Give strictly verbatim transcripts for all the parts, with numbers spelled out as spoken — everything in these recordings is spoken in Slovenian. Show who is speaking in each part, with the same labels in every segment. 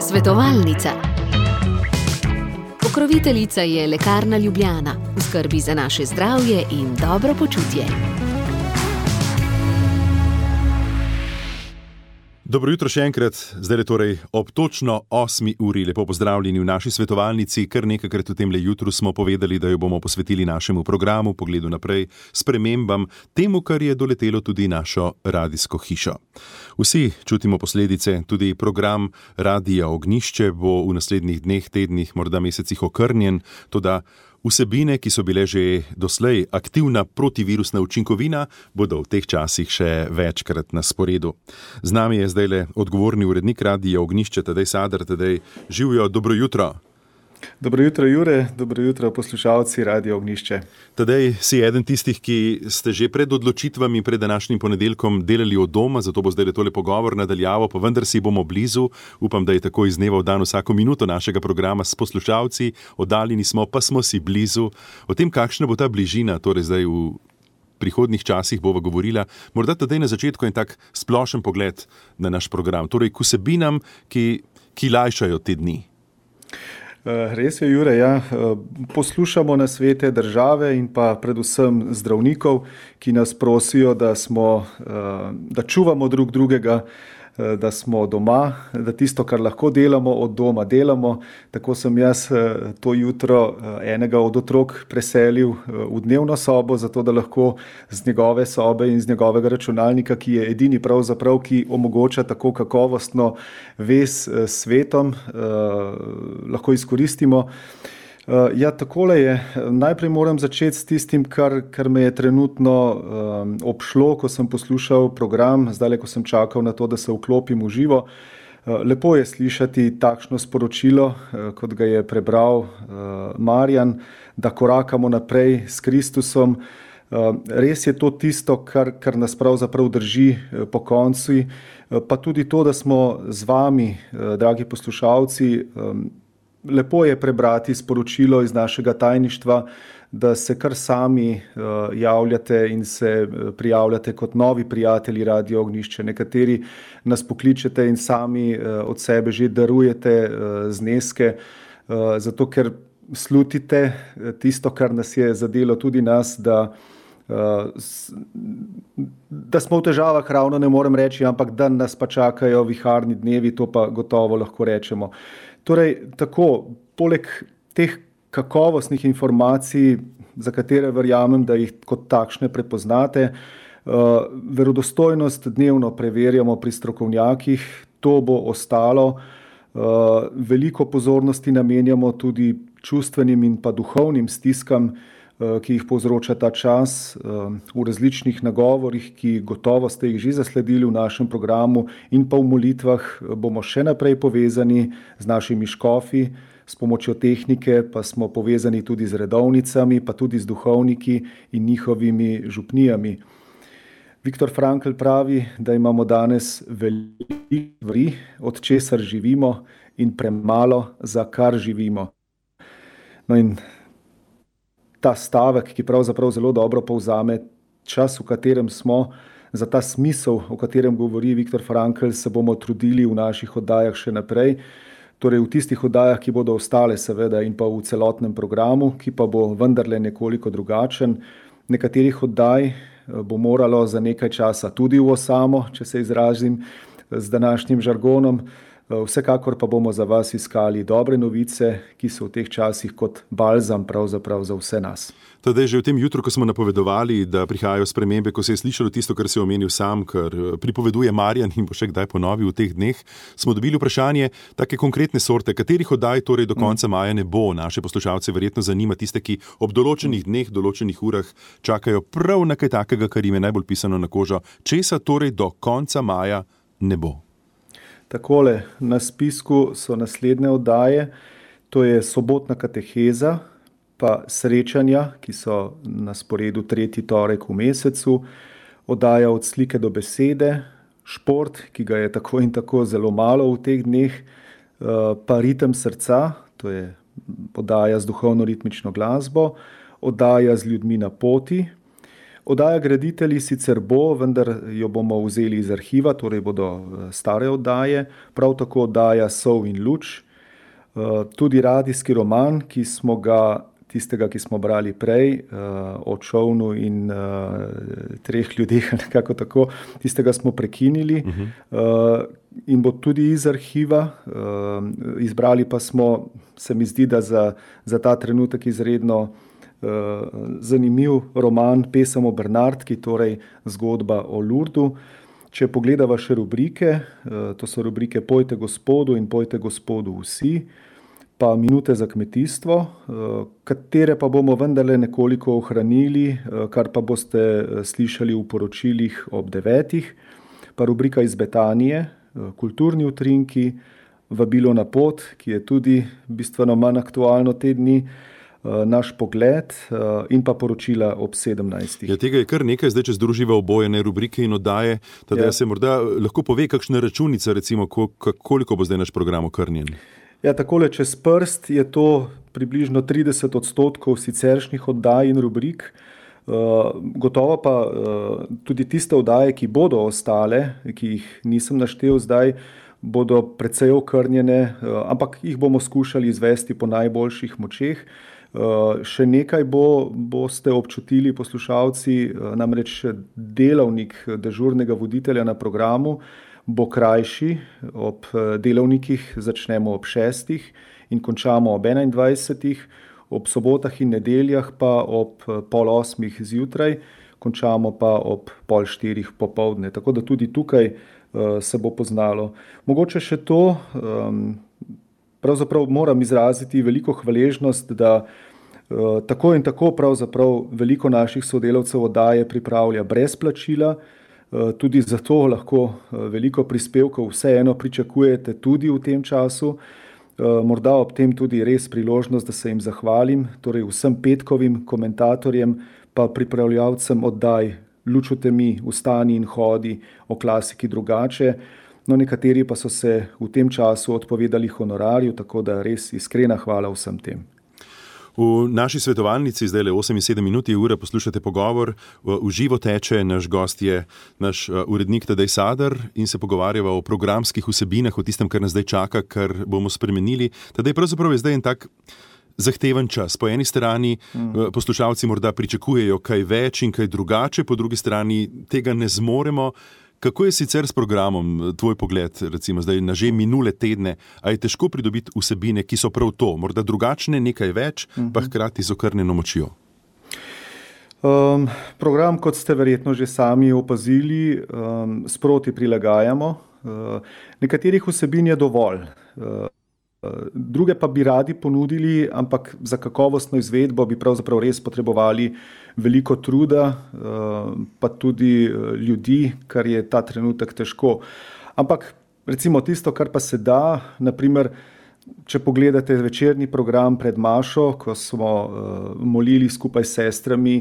Speaker 1: Svetovalnica. Pokroviteljica je Lekarna Ljubljana, v skrbi za naše zdravje in dobro počutje.
Speaker 2: Dobro jutro še enkrat, zdaj je torej ob točno osmi uri. Lepo pozdravljeni v naši svetovalnici. Kar nekajkrat v temle jutru smo povedali, da jo bomo posvetili našemu programu, pogledu naprej, spremembam, temu, kar je doletelo tudi našo radijsko hišo. Vsi čutimo posledice, tudi program Radija Ognjišče bo v naslednjih dneh, tednih, morda mesecih okrnjen, toda vsebine, ki so bile že doslej aktivna protivirusna učinkovina, bodo v teh časih še večkrat na sporedu. Z nami je zdajle odgovorni urednik Radija Ognjišče, Tadej Sadar. Tadej, živjo, dobro jutro.
Speaker 3: Dobro jutro, Jure, dobro jutro, poslušalci Radija Ognjišče.
Speaker 2: Tadej, si eden tistih, ki ste že pred odločitvami, pred današnjim ponedeljkom delali od doma, zato bo zdaj tole pogovor nadaljavo, pa vendar si bomo blizu. Upam, da je tako iz dneva v dan vsako minuto našega programa s poslušalci. Oddaljeni smo, pa smo si blizu. O tem, kakšna bo ta bližina, torej zdaj v prihodnjih časih bova govorila. Morda Tadej na začetku en tak splošen pogled na naš program, torej k vsebinam, ki, ki lajšajo te dni.
Speaker 3: Res je, Jure, ja. Poslušamo nasvete države in pa predvsem zdravnikov, ki nas prosijo, da smo, da čuvamo drug drugega, da smo doma, da tisto, kar lahko delamo, od doma delamo. Tako sem jaz to jutro enega od otrok preselil v dnevno sobo, zato da lahko z njegove sobe in z njegovega računalnika, ki je edini pravzaprav, ki omogoča tako kakovostno vez s svetom, lahko izkoristimo. Ja, takole je. Najprej moram začeti s tistim, kar, kar me je trenutno um, obšlo, ko sem poslušal program, zdaj, ko sem čakal na to, da se vklopim v živo. Uh, lepo je slišati takšno sporočilo, uh, kot ga je prebral uh, Marjan, da korakamo naprej s Kristusom. Uh, res je to tisto, kar, kar nas pravzaprav drži uh, po koncu, uh, pa tudi to, da smo z vami, uh, dragi poslušalci, um, lepo je prebrati sporočilo iz našega tajništva, da se kar sami uh, javljate in se prijavljate kot novi prijatelji Radija Ognjišče. Nekateri nas pokličete in sami uh, od sebe že darujete uh, zneske, uh, zato ker slutite tisto, kar nas je zadelo tudi nas, da, uh, s, da smo v težavah, ravno ne morem reči, ampak da nas pa čakajo viharni dnevi, to pa gotovo lahko rečemo. Torej, tako, poleg teh kakovostnih informacij, za katere verjamem, da jih kot takšne prepoznate, uh, verodostojnost dnevno preverjamo pri strokovnjakih, to bo ostalo. Uh, veliko pozornosti namenjamo tudi čustvenim in pa duhovnim stiskam, uh, ki jih povzroča ta čas, uh, v različnih nagovorih, ki gotovo ste jih že zasledili v našem programu, in pa v molitvah bomo še naprej povezani z našimi škofi, s pomočjo tehnike pa smo povezani tudi z redovnicami, pa tudi z duhovniki in njihovimi župnijami. Viktor Frankl pravi, da imamo danes veliko stvari, od česar živimo, in premalo, za kar živimo. No in ta stavek, ki pravzaprav zelo dobro povzame čas, v katerem smo, za ta smisel, o katerem govori Viktor Frankl, se bomo trudili v naših oddajah še naprej. Torej v tistih oddajah, ki bodo ostale seveda, in pa v celotnem programu, ki pa bo vendarle nekoliko drugačen. Nekaterih oddaj bo moralo za nekaj časa tudi v osamo, če se izrazim z današnjim žargonom. Vsekakor pa bomo za vas iskali dobre novice, ki so v teh časih kot balzam pravzaprav za vse nas.
Speaker 2: Tadej, že v tem jutru, ko smo napovedovali, da prihajajo spremembe, ko se je slišalo tisto, kar se je omenil sam, kar pripoveduje Marjan in bo še kdaj ponovil v teh dneh, smo dobili vprašanje take konkretne sorte, katerih oddaj torej do konca maja ne bo. Naše poslušalce verjetno zanima, tiste, ki ob določenih dneh, določenih urah čakajo prav na kaj takega, kar jim je najbolj pisano na kožo. Česa torej do konca maja ne bo?
Speaker 3: Takole, na spisku so naslednje oddaje, to je sobotna kateheza, pa srečanja, ki so na sporedu tretji torek v mesecu, oddaja od slike do besede, šport, ki ga je tako in tako zelo malo v teh dneh, pa ritem srca, to je oddaja z duhovno-ritmično glasbo, oddaja z ljudmi na poti, Oddaja Graditelji sicer bo, vendar jo bomo vzeli iz arhiva, torej bodo stare oddaje, prav tako oddaja Sol in luč, tudi radijski roman, ki smo ga, tistega, ki smo brali prej, o čovnu in treh ljudeh, nekako tako, tistega smo prekinili uh-huh. in bo tudi iz arhiva, izbrali pa smo, se mi zdi, da za, za ta trenutek izredno zanimiv roman Pesem o Bernardki, torej zgodba o Lurdu. Če pogledava še rubrike, to so rubrike Pojte Gospodu in Pojte Gospodu vsi, pa Minute za kmetijstvo, katere pa bomo vendarle nekoliko ohranili, kar pa boste slišali v poročilih ob devetih, pa rubrika Iz Betanije, Kulturni utrinki, Vabilo na pot, ki je tudi bistveno manj aktualno te dni, Naš pogled in pa poročila ob sedemnajstih.
Speaker 2: Ja, tega je kar nekaj, zdaj če združiva obojene rubrike in oddaje, teda ja. se morda lahko pove kakšna računica, recimo, koliko bo zdaj naš program okrnjen?
Speaker 3: Ja, takole čez prst je to približno trideset odstotkov siceršnjih oddaj in rubrik. Gotovo pa tudi tiste oddaje, ki bodo ostale, ki jih nisem naštel zdaj, bodo precej okrnjene, ampak jih bomo skušali izvesti po najboljših močeh. Uh, še nekaj bo, boste občutili poslušalci, uh, namreč delavnik dežurnega voditelja na programu bo krajši, ob delavnikih začnemo ob šestih in končamo ob enaindvajsetih, ob sobotah in nedeljah pa ob pol osmih zjutraj, končamo pa ob pol štirih popoldne, tako da tudi tukaj uh, se bo poznalo. Mogoče še to, um, pravzaprav moram izraziti veliko hvaležnost, da uh, tako in tako pravzaprav veliko naših sodelavcev oddaje pripravlja brez plačila, uh, tudi zato lahko uh, veliko prispevkov vseeno pričakujete tudi v tem času. Uh, morda ob tem tudi res priložnost, da se jim zahvalim, torej vsem petkovim komentatorjem, pa pripravljalcem oddaj Luč v temi, Vstani in hodi, O klasiki drugače. No, nekateri pa so se v tem času odpovedali honorarju, tako da res iskrena hvala vsem tem.
Speaker 2: V naši svetovalnici, zdaj le osem in sedem minut je ura, poslušate pogovor, v živo teče, naš gost je naš urednik Tadej Sadar in se pogovarjava o programskih vsebinah, o tistem, kar nas zdaj čaka, kar bomo spremenili. Tadej, pravzaprav je zdaj en tak zahteven čas. Po eni strani mm. poslušalci morda pričakujejo kaj več in kaj drugače, po drugi strani tega ne zmoremo. Kako je sicer s programom, tvoj pogled, recimo zdaj na že minule tedne, a je težko pridobiti vsebine, ki so prav to, morda drugačne, nekaj več, mm-hmm. pa hkrati z okrnjeno močjo?
Speaker 3: Um, program, kot ste verjetno že sami opazili, um, sproti prilagajamo. Uh, nekaterih vsebin je dovolj. Uh, Druge pa bi radi ponudili, ampak za kakovostno izvedbo bi pravzaprav res potrebovali veliko truda, pa tudi ljudi, kar je ta trenutek težko. Ampak recimo tisto, kar pa se da, naprimer, če pogledate večerni program pred Mašo, ko smo molili skupaj s sestrami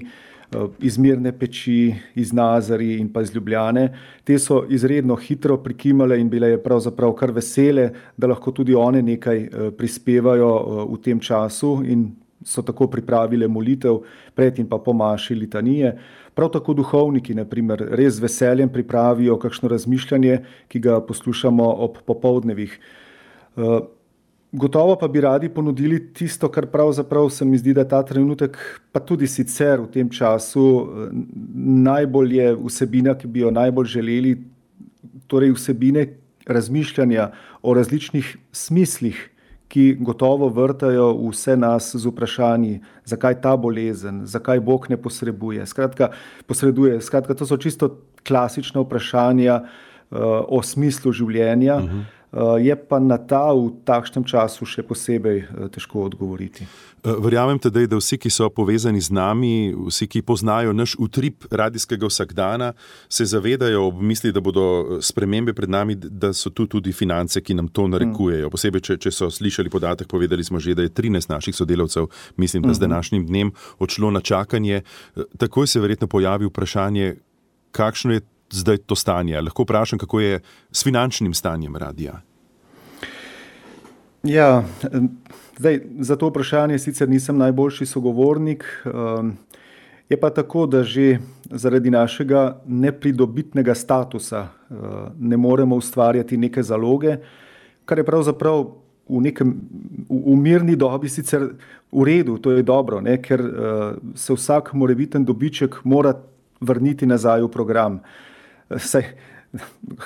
Speaker 3: iz Mirne peči, iz Nazarij in pa iz Ljubljane, te so izredno hitro prikimale in bile pravzaprav kar vesele, da lahko tudi one nekaj prispevajo v tem času in so tako pripravile molitev pred in pa po Maši litanije. Prav tako duhovniki, na primer, res z veseljem pripravijo kakšno razmišljanje, ki ga poslušamo ob popoldnevih. Gotovo pa bi radi ponudili tisto, kar pravzaprav se mi zdi, da ta trenutek, pa tudi sicer v tem času, najbolj je vsebina, ki bi jo najbolj želeli, torej vsebine razmišljanja o različnih smislih, ki gotovo vrtajo vse nas z vprašanji, zakaj ta bolezen, zakaj Bog ne posreduje. Skratka, posreduje. Skratka, to so čisto klasična vprašanja uh, o smislu življenja. Uh-huh. Je pa na ta v takšnem času še posebej težko odgovoriti.
Speaker 2: Verjamem tedaj, da vsi, ki so povezani z nami, vsi, ki poznajo naš utrip radijskega vsakdana, se zavedajo ob misli, da bodo spremembe pred nami, da so tu tudi finance, ki nam to narekujejo. Posebej, če, če so slišali podatek, povedali smo že, da je trinajst naših sodelavcev, mislim, da z današnjim dnem odšlo na čakanje. Takoj se verjetno pojavi vprašanje, kakšno je zdaj to stanje? Lahko vprašam, kako je s finančnim stanjem radija?
Speaker 3: Ja, zdaj, za to vprašanje sicer nisem najboljši sogovornik. Je pa tako, da že zaradi našega nepridobitnega statusa ne moremo ustvarjati neke zaloge, kar je pravzaprav v nekem v, v mirni dobi sicer v redu, to je dobro, ne, ker se vsak morebiten dobiček mora vrniti nazaj v program. Saj,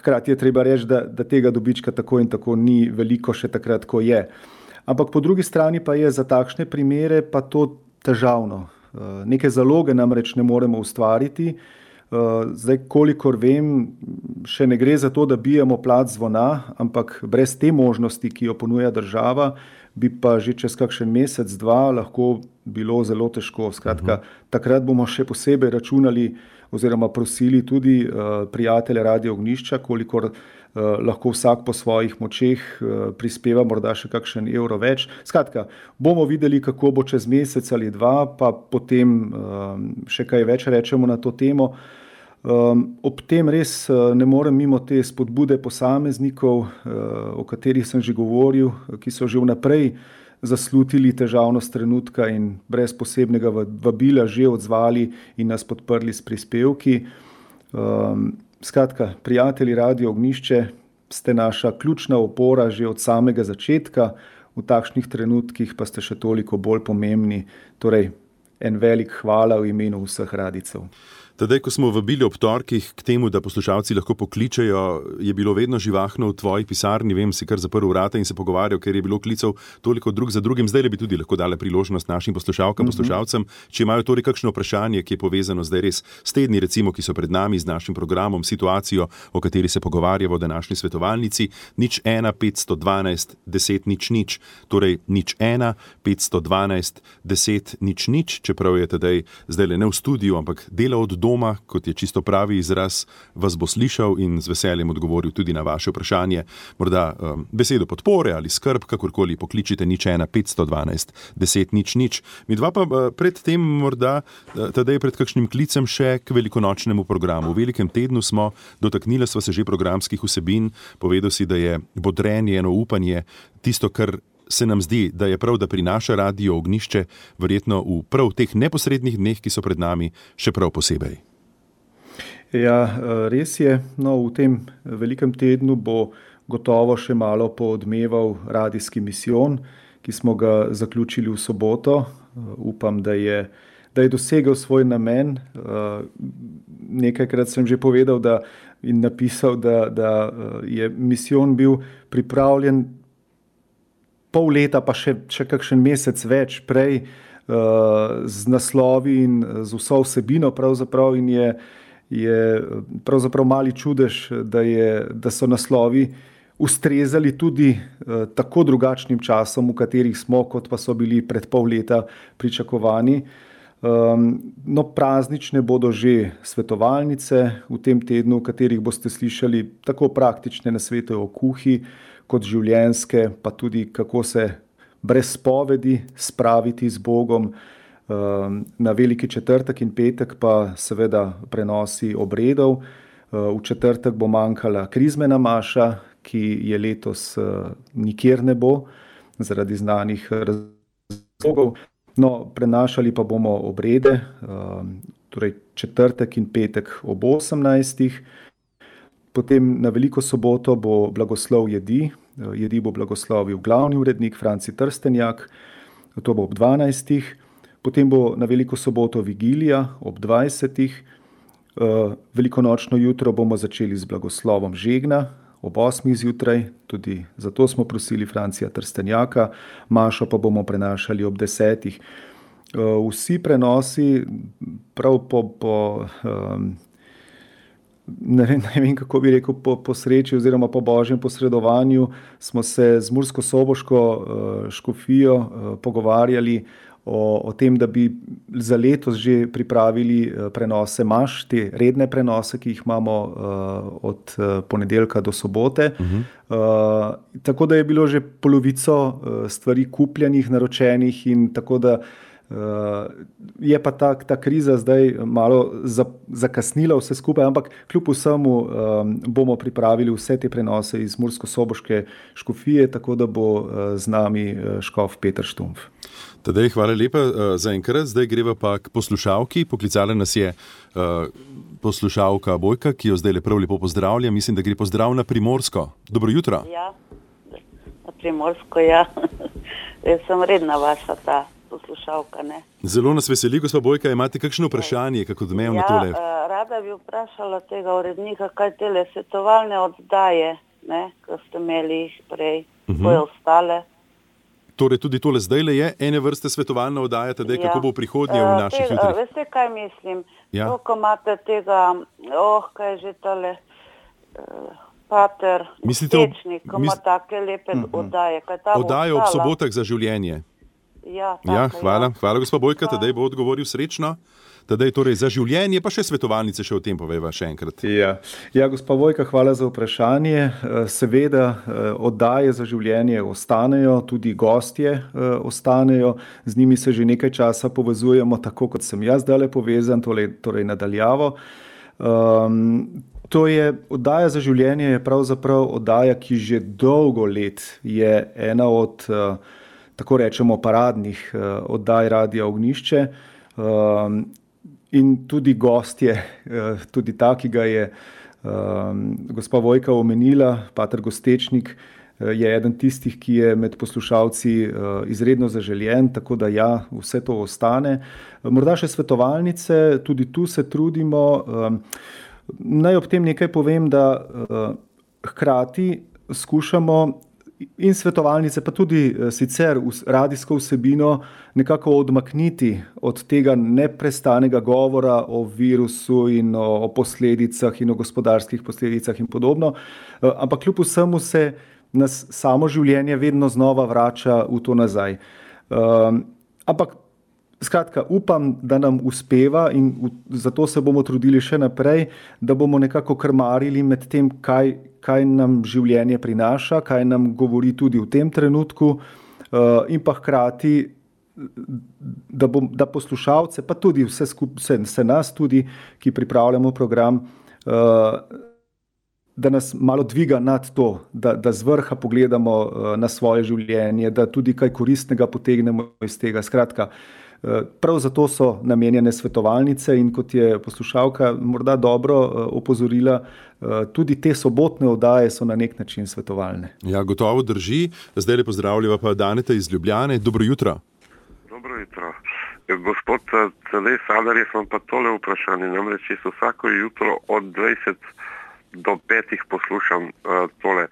Speaker 3: hkrati je treba reči, da, da tega dobička tako in tako ni veliko še takrat, ko je. Ampak po drugi strani pa je za takšne primere pa to težavno. Neke zaloge namreč ne moremo ustvariti. Zdaj, kolikor vem, še ne gre za to, da bijemo plat zvona, ampak brez te možnosti, ki jo ponuja država, bi pa že čez kakšen mesec, dva lahko bilo zelo težko. Skratka, takrat bomo še posebej računali oziroma prosili tudi uh, prijatelje Radio Ognjišča, kolikor uh, lahko vsak po svojih močeh uh, prispeva morda še kakšen evro več. Skratka, bomo videli, kako bo čez mesec ali dva, pa potem uh, še kaj več rečemo na to temo. Um, ob tem res uh, ne morem mimo te spodbude posameznikov, uh, o katerih sem že govoril, ki so že vnaprej zaslutili težavnost trenutka in brez posebnega vabila že odzvali in nas podprli s prispevki. Um, skratka, prijatelji Radio Ognjišče, ste naša ključna opora že od samega začetka, v takšnih trenutkih pa ste še toliko bolj pomembni. Torej, en velik hvala v imenu vseh radijcev.
Speaker 2: Tadej, ko smo vabili ob torkih k temu, da poslušalci lahko pokličejo, je bilo vedno živahno v tvoji pisarni, vem, si kar zaprl vrata in se pogovarjal, ker je bilo klicev toliko drug za drugim. Zdaj bi tudi lahko dale priložnost našim poslušalkam, mm-hmm. poslušalcem, če imajo torej kakšno vprašanje, ki je povezano zdaj res s tedni, recimo, ki so pred nami, z našim programom, situacijo, o kateri se pogovarjamo v današnji svetovalnici. Nič ena, petsto dvanajst, deset, nič, nič. Torej, nič ena, petsto dvanajst, deset, nič, nič, čeprav je tadej zdaj le ne v studiu, ampak dela od doma, kot je čisto pravi izraz, vas bo slišal in z veseljem odgovoril tudi na vaše vprašanje. Morda um, besedo podpore ali skrb, kakorkoli pokličite nič ena, petsto dvanajst, deset, nič, nič. Mi dva pa uh, pred tem morda, uh, tadej pred kakšnim klicem še k velikonočnemu programu. V velikem tednu smo, dotaknili sva se že programskih vsebin, povedal si, da je bodrenje, eno upanje, tisto, kar se nam zdi, da je prav, da prinaša Radio Ognjišče, verjetno v prav teh neposrednih dneh, ki so pred nami, še prav posebej.
Speaker 3: Ja, res je. No, v tem velikem tednu bo gotovo še malo poodmeval radijski misijon, ki smo ga zaključili v soboto. Upam, da je, da je dosegel svoj namen. Nekajkrat sem že povedal da, in napisal, da, da je misijon bil pripravljen pol leta, pa še, še kakšen mesec več prej, uh, z naslovi in z vso vsebino pravzaprav, in je, je pravzaprav mali čudež, da, je, da so naslovi ustrezali tudi uh, tako drugačnim časom, v katerih smo, kot pa so bili pred pol leta pričakovani. Um, no, praznične bodo že svetovalnice v tem tednu, v katerih boste slišali tako praktične nasvete o kuhi, kot življenjske, pa tudi kako se brez spovedi spraviti z Bogom. Na veliki četrtek in petek pa seveda prenosi obredov. V četrtek bo manjkala krizmena maša, ki je letos nikjer ne bo, zaradi znanih razlogov. No, prenašali pa bomo obrede, torej četrtek in petek ob osemnajstih. Potem na veliko soboto bo blagoslov jedi. Jedi bo blagoslovil glavni urednik Franci Trstenjak, to bo ob dvanajstih. Potem bo na veliko soboto vigilija ob dvajsetih. Velikonočno jutro bomo začeli z blagoslovom žegna ob osmih zjutraj, tudi zato smo prosili Francija Trstenjaka. Mašo pa bomo prenašali ob desetih. Vsi prenosi prav po... po um, Ne vem, ne vem, kako bi rekel, po, po sreči oziroma po božjem posredovanju smo se z mursko-soboško uh, škofijo uh, pogovarjali o, o tem, da bi za letos že pripravili uh, prenose maš, te redne prenose, ki jih imamo uh, od uh, ponedeljka do sobote. Uh-huh. Uh, tako da je bilo že polovico uh, stvari kupljenih, naročenih in tako da Je pa ta, ta kriza zdaj malo zakasnila vse skupaj, ampak kljub vsemu bomo pripravili vse te prenose iz Mursko-Soboške škofije, tako da bo z nami škof Peter Štumpf.
Speaker 2: Tadej, hvala lepa za enkrat. Zdaj greva pa k poslušalki. Poklicala nas je poslušalka Bojka, ki jo zdaj prav lepo pozdravlja. Mislim, da gre pozdrav na Primorsko. Dobro jutro.
Speaker 4: Ja, na Primorsko, ja. Jaz sem redna vaša ta poslušalka, ne.
Speaker 2: Zelo nas veseli, gospa Bojka, imate kakšno vprašanje, kako odmevno tole?
Speaker 4: Ja, rada bi vprašala tega urednika, kaj tele svetovalne oddaje, ne, ko ste imeli jih prej, uh-huh. Koje ostale.
Speaker 2: Torej tudi tole zdajle je ene vrste svetovalna oddaja, tedaj, ja. Kako bo v prihodnje v naših
Speaker 4: tega,
Speaker 2: jutrih?
Speaker 4: Veste, kaj mislim?
Speaker 2: Ja.
Speaker 4: To, ko imate tega, oh, kaj je že tale, uh, pater, Stečnik, ko ima mis... take lepe uh-huh. oddaje.
Speaker 2: Oddaje ob sobotah za življenje.
Speaker 4: Ja, tako,
Speaker 2: ja, hvala,
Speaker 4: ja.
Speaker 2: hvala gospa Bojka, tedaj bo odgovoril srečno. Tedaj torej za življenje, pa še svetovalnice še o tem poveva še enkrat.
Speaker 3: Ja, ja gospa Bojka, hvala za vprašanje. Seveda oddaje za življenje ostanejo, tudi gostje ostanejo, z njimi se že nekaj časa povezujemo, tako kot sem jaz zdajle povezan, torej, torej nadaljavo. Um, to je, oddaja za življenje je pravzaprav oddaja, ki že dolgo let je ena od, tako rečemo, paradnih oddaj Radia Ognjišče. Um, In tudi gostje, tudi ta, ki ga je um, gospa Vojka omenila, pater Gostečnik, je eden tistih, ki je med poslušalci uh, izredno zaželjen, tako da ja, vse to ostane. Morda še svetovalnice, tudi tu se trudimo. Um, naj ob tem nekaj povem, da uh, hkrati skušamo in svetovalnice, pa tudi sicer radijsko vsebino nekako odmakniti od tega neprestanega govora o virusu in o, o posledicah in o gospodarskih posledicah in podobno, ampak kljub vsemu se nas samo življenje vedno znova vrača v to nazaj. Um, ampak skratka, upam, da nam uspeva in v, zato se bomo trudili še naprej, da bomo nekako krmarili med tem, kaj kaj nam življenje prinaša, kaj nam govori tudi v tem trenutku uh, in pa hkrati, da, bom, da poslušalce, pa tudi vse, skup, vse, vse nas tudi, ki pripravljamo program, uh, da nas malo dviga nad to, da, da z vrha pogledamo uh, na svoje življenje, da tudi kaj koristnega potegnemo iz tega. Skratka, prav zato so namenjene svetovalnice in kot je poslušalka morda dobro opozorila, tudi te sobotne oddaje so na nek način svetovalne.
Speaker 2: Ja, gotovo drži. Zdaj le pozdravljava pa Daneta iz Ljubljane. Dobro jutro.
Speaker 5: Dobro jutro. Gospod Tadej Sadar, jaz vam pa tole vprašanje. Namreč jaz vsako jutro od dvajset do petih poslušam uh, tole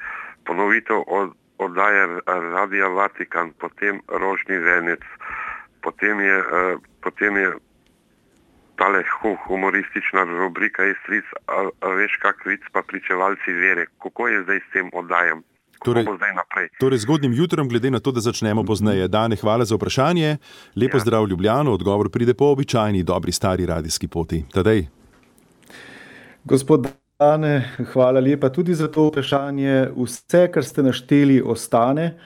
Speaker 5: ponovitev od oddaje Radia Vatikan, potem Rožni venec, Potem je, uh, potem je tale humoristična rubrika Istric, a, a veš kak vic pa pričevalci vere. Kako je zdaj s tem oddajem? Kako torej, bo zdaj naprej?
Speaker 2: Torej zgodnim jutrom, glede na to, da začnemo pozneje. Dane, hvala za vprašanje. Lepo ja. Zdrav Ljubljano, odgovor pride po običajni, dobri, stari radijski poti. Tadej.
Speaker 3: Gospod Dane, hvala lepa tudi za to vprašanje. Vse, kar ste našteli, ostane.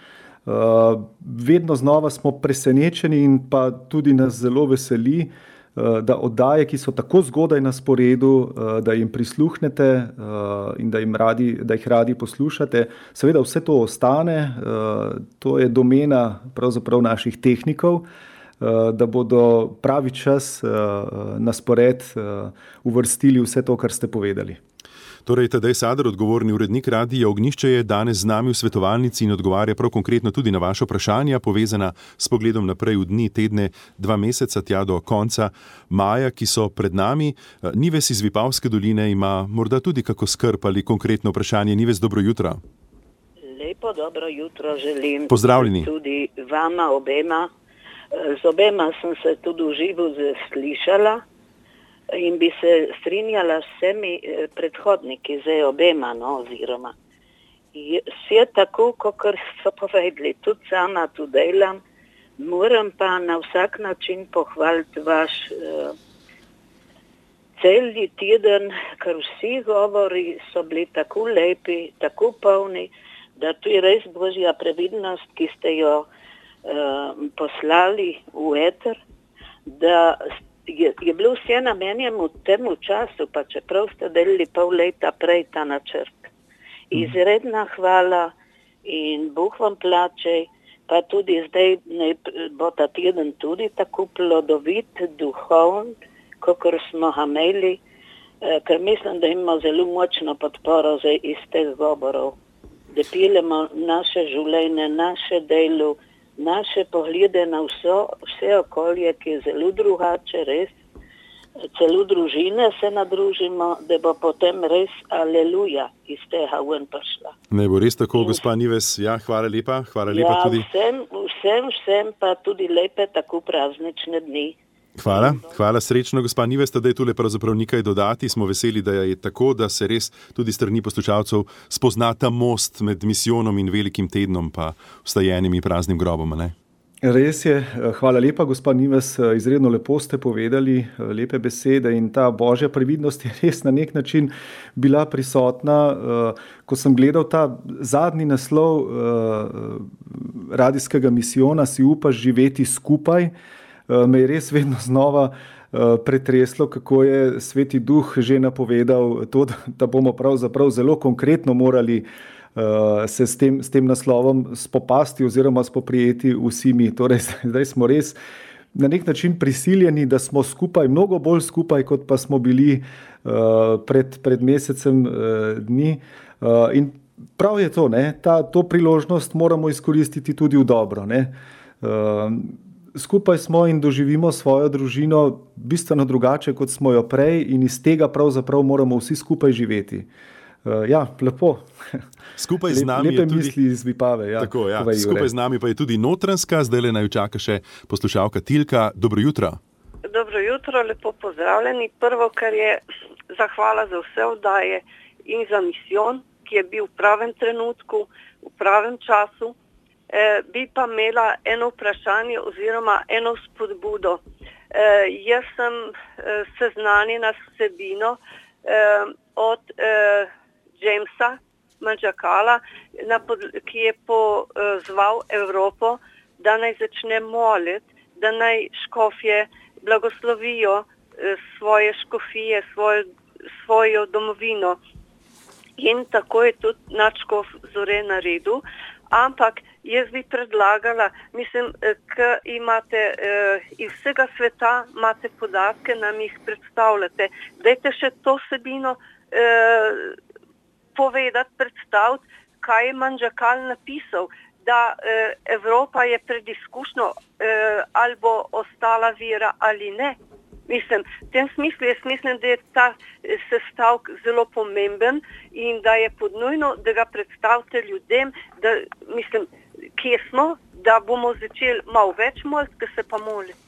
Speaker 3: Uh, vedno znova smo presenečeni in pa tudi nas zelo veseli, uh, da oddaje, ki so tako zgodaj na sporedu, uh, da jim prisluhnete uh, in da, jim radi, da jih radi poslušate. Seveda vse to ostane, uh, to je domena pravzaprav naših tehnikov, uh, da bodo pravi čas uh, na spored uh, uvrstili vse to, kar ste povedali.
Speaker 2: Torej, Tadej Sadar, odgovorni urednik Radia Ognjišče, je danes z nami v svetovalnici in odgovarja prav konkretno tudi na vaše vprašanja, povezana s pogledom naprej v dni, tedne, dva meseca, tja do konca maja, ki so pred nami. Nives iz Vipavske doline ima morda tudi kako skrb ali konkretno vprašanje. Nives, dobro jutro.
Speaker 4: Lepo dobro jutro želim.
Speaker 2: Pozdravljeni.
Speaker 4: Tudi vama obema. Z obema sem se tudi v živo slišala. In bi se strinjala s vsemi predhodniki, zdaj obema, no, oziroma. Vse tako, kot so povedali, tudi sama tu delam, moram pa na vsak način pohvaliti vaš uh, celi teden, ker vsi govori so bili tako lepi, tako polni, da tu je res božja previdnost, ki ste jo uh, poslali v eter. da je, je bilo vse namenjeno temu času, pa čeprav ste delili pol leta prej ta načrt. Izredna hvala in Bog vam plače, pa tudi zdaj ne, bo ta teden tudi tako plodovit, duhovn, kakor smo ga imeli, eh, ker mislim, da imamo zelo močno podporo zdaj iz teh govorov, da pilemo naše življenje, naše delo, naše poglede na vse, vse okolje, ki je zelo drugače, res. Celo družine se nadružimo, da bo potem res aleluja iz tega ven prišla.
Speaker 2: Ne bo res tako, gospa Nives. Ja, hvala lepa. Hvala lepa
Speaker 4: ja,
Speaker 2: tudi.
Speaker 4: Vsem, vsem, vsem pa tudi lepe tako praznične dni.
Speaker 2: Hvala, hvala srečno, gospa Nives, da je tule pravzaprav nekaj dodati. Smo veseli, da je tako, da se res tudi strani poslušalcev spozna ta most med misijonom in velikim tednom pa vstajenim in praznim grobom, ne?
Speaker 3: Res je, hvala lepa, gospa Nives, izredno lepo ste povedali, lepe besede in ta božja previdnost je res na nek način bila prisotna. Ko sem gledal ta zadnji naslov radijskega misijona Si upaš živeti skupaj, me je res vedno znova pretreslo, kako je Sveti Duh že napovedal to, da bomo pravzaprav zelo konkretno morali se s tem, s tem naslovom spopasti oziroma spoprijeti vsi mi. Torej, zdaj smo res na nek način prisiljeni, da smo skupaj, mnogo bolj skupaj, kot pa smo bili uh, pred, pred mesecem uh, dni. Uh, in prav je to, ne? Ta, to priložnost moramo izkoristiti tudi v dobro. Ne? Uh, skupaj smo in doživimo svojo družino bistveno drugače, kot smo jo prej in iz tega pravzaprav moramo vsi skupaj živeti. Uh, ja, lepo.
Speaker 2: Skupaj z nami
Speaker 3: Lepe
Speaker 2: je tudi,
Speaker 3: misli iz Vipave. Ja,
Speaker 2: tako, ja. Skupaj z nami pa je tudi Notranjska, zdaj le naj čaka še poslušalka Tilka. Dobro jutro.
Speaker 6: Dobro jutro, lepo pozdravljeni. Prvo, kar je zahvala za vse oddaje in za misijon, ki je bil v pravem trenutku, v pravem času. E, bi pa imela eno vprašanje oziroma eno spodbudo. E, jaz sem e, seznanjena s vsebino e, od e, Jamesa Manžakala, ki je pozval Evropo, da naj začne moliti, da naj škofje blagoslovijo svoje škofije, svojo, svojo domovino. In tako je tudi nadškof Zore naredil. Ampak jaz bi predlagala, mislim, ker imate eh, iz vsega sveta imate podatke, nam jih predstavljate. Dajte še to vsebino eh, povedati, predstaviti, kaj je Manžakal napisal, da eh, Evropa je pred izkušnjo, eh, ali bo ostala vera ali ne. Mislim, v tem smislu jaz mislim, da je ta sestavek zelo pomemben in da je podnujno, da ga predstavite ljudem, da, mislim, kje smo, da bomo začeli malo več moliti, ker se pa moliti.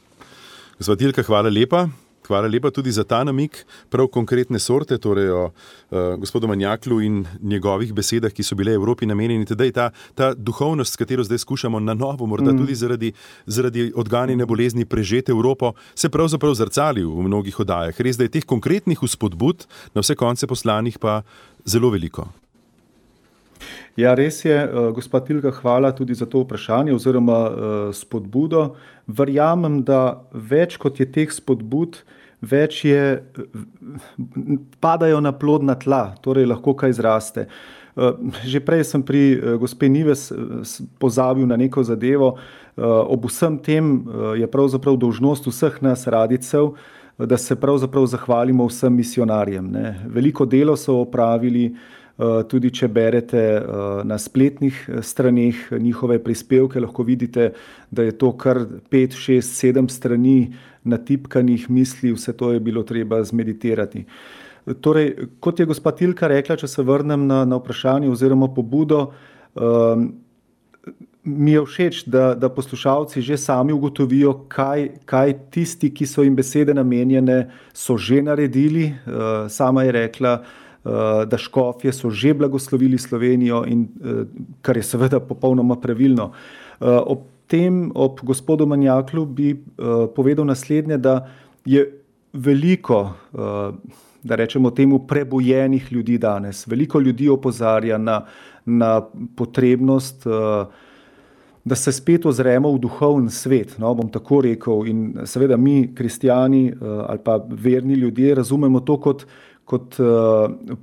Speaker 2: Gospa Tilka, hvala lepa. Hvala lepa tudi za ta namik, prav konkretne sorte, torej o uh, gospodu Manjaklu in njegovih besedah, ki so bile Evropi namenjeni. Tedaj ta, ta duhovnost, s katero zdaj skušamo na novo, morda mm. tudi zaradi, zaradi odganjanja bolezni prežeti Evropo, se pravzaprav zrcali v mnogih oddajah. Res, da je teh konkretnih vzpodbud na vse konce poslanih pa zelo veliko.
Speaker 3: Ja, res je, gospod Tilka, hvala tudi za to vprašanje oziroma spodbudo. Verjamem, da več kot je teh spodbud, več je, padajo na plodna tla, torej lahko kaj zraste. Že prej sem pri gospe Nives pozabil na neko zadevo. Ob vsem tem je pravzaprav dolžnost vseh nas radijcev, da se pravzaprav zahvalimo vsem misionarjem. Ne? Veliko delo so opravili, tudi če berete na spletnih straneh njihove prispevke, lahko vidite, da je to kar pet, šest, sedem strani natipkanih misli, vse to je bilo treba zmeditirati. Torej, kot je gospa Tilka rekla, če se vrnem na, na vprašanje oziroma pobudo, um, mi je všeč, da, da poslušalci že sami ugotovijo, kaj, kaj tisti, ki so jim besede namenjene, so že naredili. Uh, sama je rekla, da škofje so že blagoslovili Slovenijo, in kar je seveda popolnoma pravilno. Ob tem, ob gospodu Manjaklu bi povedal naslednje, da je veliko, da rečemo temu, prebojenih ljudi danes. Veliko ljudi opozarja na, na potrebnost da se spet ozremo v duhovni svet, no, bom tako rekel. In seveda mi, kristijani ali pa verni ljudje, razumemo to kot, kot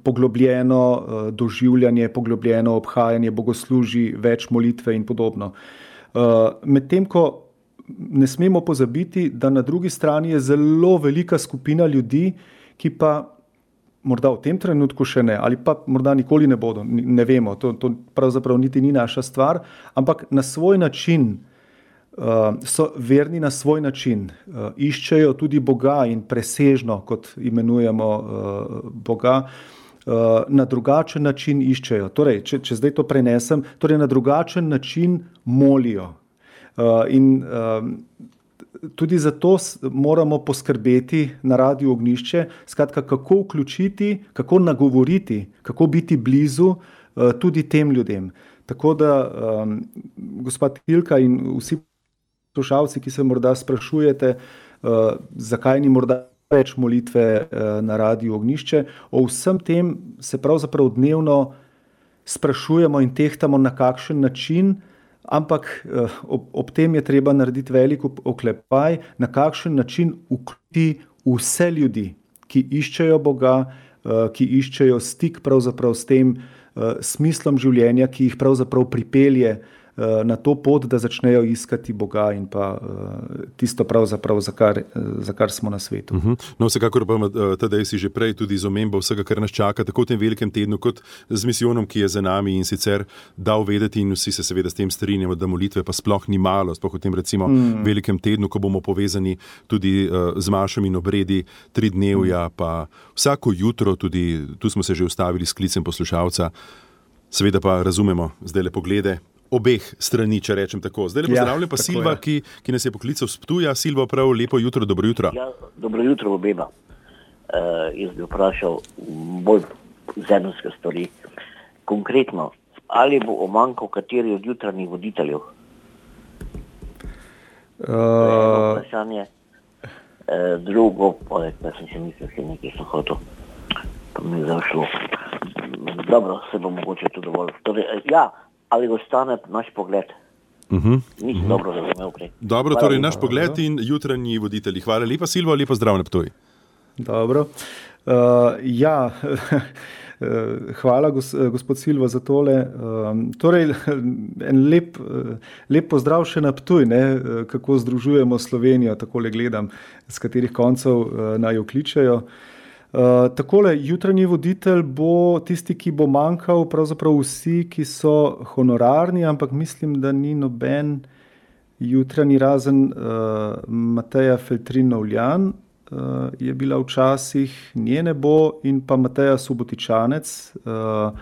Speaker 3: poglobljeno doživljanje, poglobljeno obhajanje bogoslužij, več molitve in podobno. Medtem ko ne smemo pozabiti, da na drugi strani je zelo velika skupina ljudi, ki pa morda v tem trenutku še ne, ali pa morda nikoli ne bodo, ne vemo, to, to pravzaprav niti ni naša stvar, ampak na svoj način, uh, so verni na svoj način, uh, iščejo tudi Boga in presežno, kot imenujemo uh, Boga, uh, na drugačen način iščejo. Torej, če, če zdaj to prenesem, torej na drugačen način molijo. Uh, in uh, tudi zato moramo poskrbeti na Radiu Ognjišče, skratka, kako vključiti, kako nagovoriti, kako biti blizu uh, tudi tem ljudem. Tako da, um, gospod Tilka in vsi poslušalci, ki se morda sprašujete, uh, zakaj ni morda več molitve uh, na Radiu Ognjišče, o vsem tem se pravzaprav dnevno sprašujemo in tehtamo, na kakšen način, ampak ob, ob tem je treba narediti velik oklepaj, na kakšen način vključiti vse ljudi, ki iščejo Boga, ki iščejo stik pravzaprav s tem smislom življenja, ki jih pravzaprav pripelje na to pot, da začnejo iskati Boga in pa tisto pravzaprav, za kar, za kar smo na svetu.
Speaker 2: Uh-huh. No, vsekakor pa Tadej si že prej tudi z omembo vsega, kar nas čaka, tako v tem velikem tednu, kot z misijonom, ki je za nami, in sicer dal vedeti, in vsi se seveda s tem strinjamo, da molitve pa sploh ni malo, sploh v tem recimo mm. velikem tednu, ko bomo povezani tudi uh, z mašami in obredi tri dnevja, mm. pa vsako jutro, tudi tu smo se že ustavili s klicem poslušalca, seveda pa razumemo zdaj le poglede obeh strani, če rečem tako. Zdaj le pozdravljam pa Silva, ki, ki nas je poklical s Ptuja. Silva, prav lepo jutro, dobro jutro.
Speaker 7: Ja, dobro jutro obema. Uh, jaz bi vprašal bolj zemljske stvari. Konkretno, ali bo omankal kateri od jutranjih voditeljev? Uh... Eno vprašanje. Uh, drugo, poleg, da sem še mislil, še nekaj sem hotel, pa mi je zašlo. Dobro, se bo mogoče to dovolj. Torej, ja, ali ostane naš pogled. Uh-huh. Nisem uh-huh. dobro razumel prej.
Speaker 2: Dobro, hvala, torej naš pogled in jutranji voditelji. Hvala lepa, Silvo, lepo zdrav na Ptuj.
Speaker 3: Dobro. Uh, ja, hvala gos, gospod Silvo za tole. Um, torej, en lep, lep pozdrav še na Ptuj, ne? Kako združujemo Slovenijo, takole gledam, z katerih koncev uh, naj jo kličejo. Uh, takole, jutranji voditelj bo tisti, ki bo manjkal, pravzaprav vsi, ki so honorarni, ampak mislim, da ni noben jutranji, razen uh, Mateja Feltrin-Novljan, uh, je bila včasih, nje ne bo, in pa Mateja Subotičanec uh,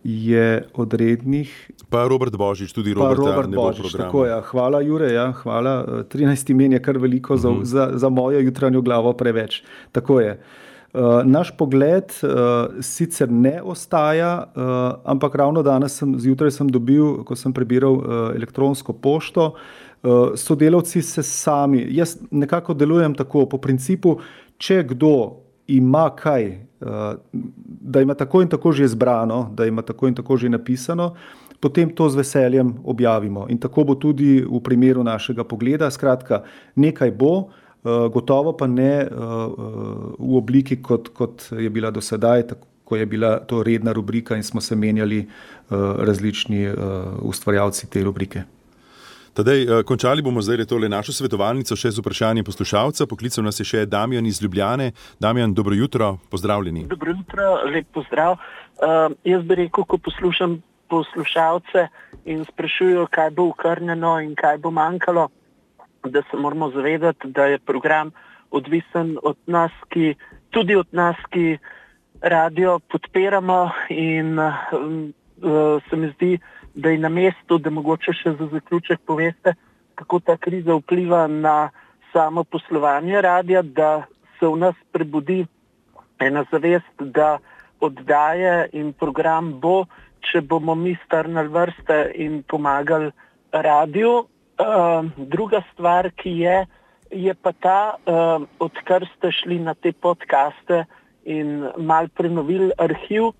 Speaker 3: je od rednih.
Speaker 2: Pa Robert Božič, tudi Roberta
Speaker 3: Robert
Speaker 2: ne bo
Speaker 3: Božič,
Speaker 2: programa.
Speaker 3: tako ja. Hvala, Jure, ja, hvala. trinajst imen je kar veliko uh-huh. za, za, za mojo jutranjo glavo preveč. Tako je. Uh, naš pogled uh, sicer ne ostaja, uh, ampak ravno danes sem, zjutraj sem dobil, ko sem prebiral uh, elektronsko pošto, uh, sodelavci se sami, jaz nekako delujem tako, po principu, če kdo ima kaj, uh, da ima tako in tako že zbrano, da ima tako in tako že napisano, potem to z veseljem objavimo. In tako bo tudi v primeru našega pogleda. Skratka, nekaj bo, Uh, gotovo pa ne uh, uh, v obliki, kot, kot je bila do sedaj, tako, ko je bila to redna rubrika in smo se menjali uh, različni uh, ustvarjalci te rubrike.
Speaker 2: Tadej, uh, končali bomo zdaj tole našo svetovalnico še z vprašanjem poslušalca. Poklical nas je še Damjan iz Ljubljane. Damjan, dobro jutro, pozdravljeni.
Speaker 8: Dobro jutro, lep pozdrav. Uh, jaz bi rekel, ko poslušam poslušalce in sprašujo, kaj bo ukrnjeno in kaj bo manjkalo, da se moramo zavedati, da je program odvisen od nas, ki, tudi od nas, ki radio podpiramo, in um, uh, se mi zdi, da je na mestu, da mogoče še za zaključek poveste, kako ta kriza vpliva na samo poslovanje radia, da se v nas prebudi ena zavest, da oddaje in program bo, če bomo mi strnili vrste in pomagali radiju. Uh, druga stvar, ki je, je pa ta, uh, odkar ste šli na te podcaste in mal prenovili arhiv,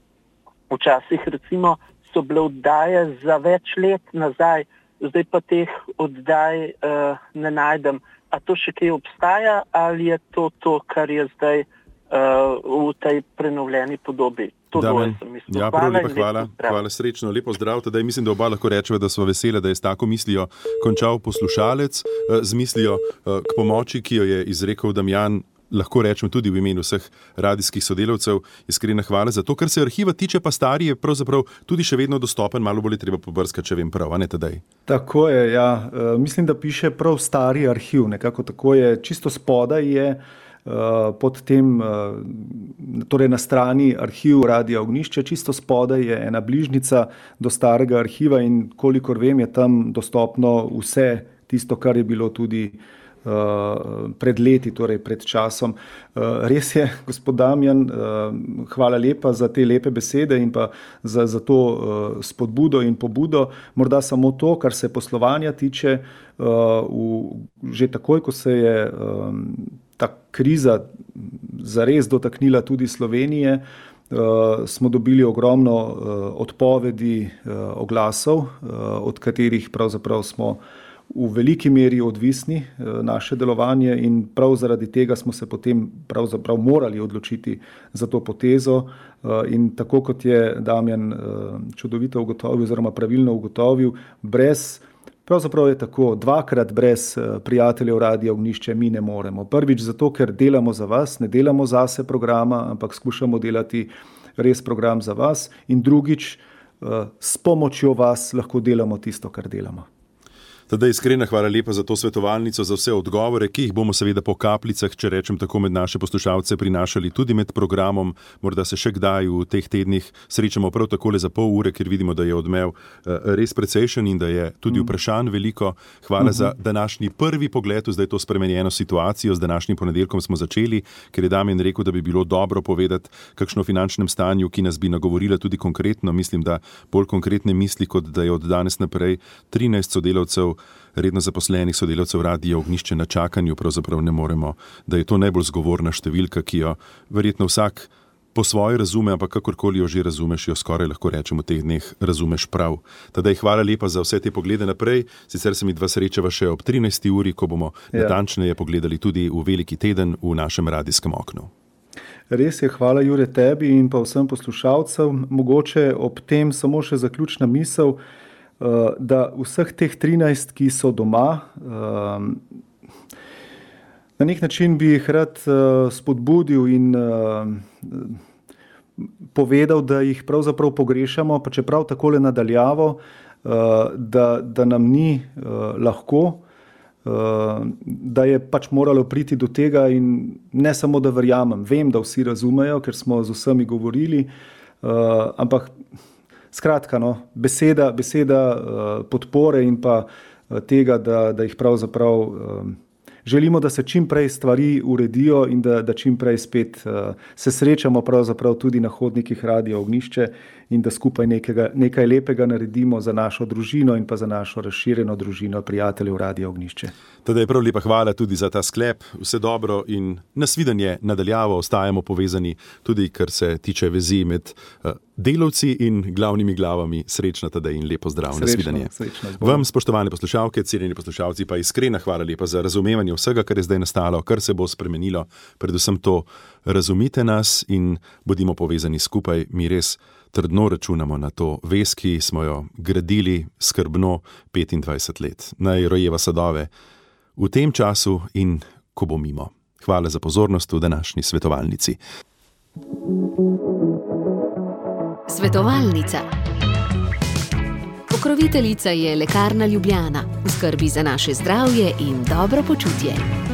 Speaker 8: včasih recimo so bile oddaje za več let nazaj zdaj pa teh oddaj uh, ne najdem. A to še kaj obstaja ali je to to, kar je zdaj uh, v tej prenovljeni podobi? To
Speaker 2: Damen, ja, prav lepa hvala, hvala, srečno, lepo zdrav. Tadej mislim, da oba lahko rečeva, da smo veseli, da je s tako mislijo končal poslušalec, z mislijo k pomoči, ki jo je izrekel Damjan, lahko rečem tudi v imenu vseh radijskih sodelavcev. Iskrena hvala za to. Kar se arhiva tiče, pa stari je pravzaprav tudi še vedno dostopen, malo bolj je treba pobrskati, če vem prav, a ne Tadej?
Speaker 3: Tako je, ja. Mislim, da piše prav stari arhiv, nekako tako je, čisto spodaj je pod tem, torej na strani arhiv Radia Ognjišče, čisto spodaj je ena bližnica do starega arhiva in kolikor vem, je tam dostopno vse tisto, kar je bilo tudi pred leti, torej pred časom. Res je, gospod Damjan, hvala lepa za te lepe besede in pa za, za to spodbudo in pobudo. Morda samo to, kar se poslovanja tiče, v, že takoj, ko se je ta kriza zares dotaknila tudi Slovenije, smo dobili ogromno odpovedi oglasov, od katerih pravzaprav smo v veliki meri odvisni naše delovanje in prav zaradi tega smo se potem pravzaprav morali odločiti za to potezo in tako kot je Damjan čudovito ugotovil oziroma pravilno ugotovil, brez Pravzaprav je tako, dvakrat brez prijateljev Radia Ognjišče mi ne moremo. Prvič zato, ker delamo za vas, ne delamo zase programa, ampak skušamo delati res program za vas in drugič, s pomočjo vas lahko delamo tisto, kar delamo.
Speaker 2: Tadej, iskrena hvala lepa za to svetovalnico, za vse odgovore, ki jih bomo seveda po kapljicah, če rečem tako, med naše poslušalce prinašali tudi med programom. Morda se še kdaj v teh tednih srečamo prav takole za pol ure, ker vidimo, da je odmev res precejšen in da je tudi vprašanj veliko. Hvala za današnji prvi pogled v zdaj to spremenjeno situacijo. Z današnjim ponedeljkom smo začeli, ker je Damjan rekel, da bi bilo dobro povedati kakšno o finančnem stanju, ki nas bi nagovorila tudi konkretno. Mislim, da bolj konkretne misli, kot da je od danes naprej trinajst sodelavcev redno zaposlenih sodelavcev Radia Ognjišče na čakanju, pravzaprav ne moremo, da je to najbolj zgovorna številka, ki jo verjetno vsak po svoje razume, ampak kakorkoli jo že razumeš, jo skoraj lahko rečemo v teh dneh razumeš prav. Tadej, hvala lepa za vse te poglede naprej, sicer se mi dva srečava še ob trinajsti uri, ko bomo ja. natančneje pogledali tudi v veliki teden v našem radijskem oknu.
Speaker 3: Res je, hvala Jure tebi in pa vsem poslušalcem. Mogoče ob tem samo še zaključna misel, da vseh teh trinajst, ki so doma, na nek način bi jih rad spodbudil in povedal, da jih pravzaprav pogrešamo, pa čeprav takole nadaljavo, da, da nam ni lahko, da je pač moralo priti do tega in ne samo, da verjamem, vem, da vsi razumejo, ker smo z vsemi govorili, ampak Skratka, no, beseda, beseda uh, podpore in pa uh, tega, da, da jih pravzaprav uh, želimo, da se čim prej stvari uredijo in da, da čim prej spet uh, se srečamo pravzaprav tudi na hodnikih Radia Ognjišče in da skupaj nekega, nekaj lepega naredimo za našo družino in pa za našo razširjeno družino prijateljev Radia Ognjišče.
Speaker 2: Tadej, prav lepa hvala tudi za ta sklep, vse dobro in nasvidenje nadaljavo, ostajamo povezani tudi, kar se tiče vezi med uh, delavci in glavnimi glavami. Srečno Tadej in lepo zdrav, nasvidenje. Vam, spoštovane poslušalke, cenjeni poslušalci, pa iskrena hvala lepa za razumevanje vsega, kar je zdaj nastalo, kar se bo spremenilo. Predvsem to, razumite nas in bodimo povezani skupaj, mi res trdno računamo na to vez, ki smo jo gradili skrbno petindvajset let. Naj rojeva sadove v tem času in ko bo mimo. Hvala za pozornost v današnji svetovalnici.
Speaker 1: Svetovalnica. Pokroviteljica je Lekarna Ljubljana. V skrbi za naše zdravje in dobro počutje.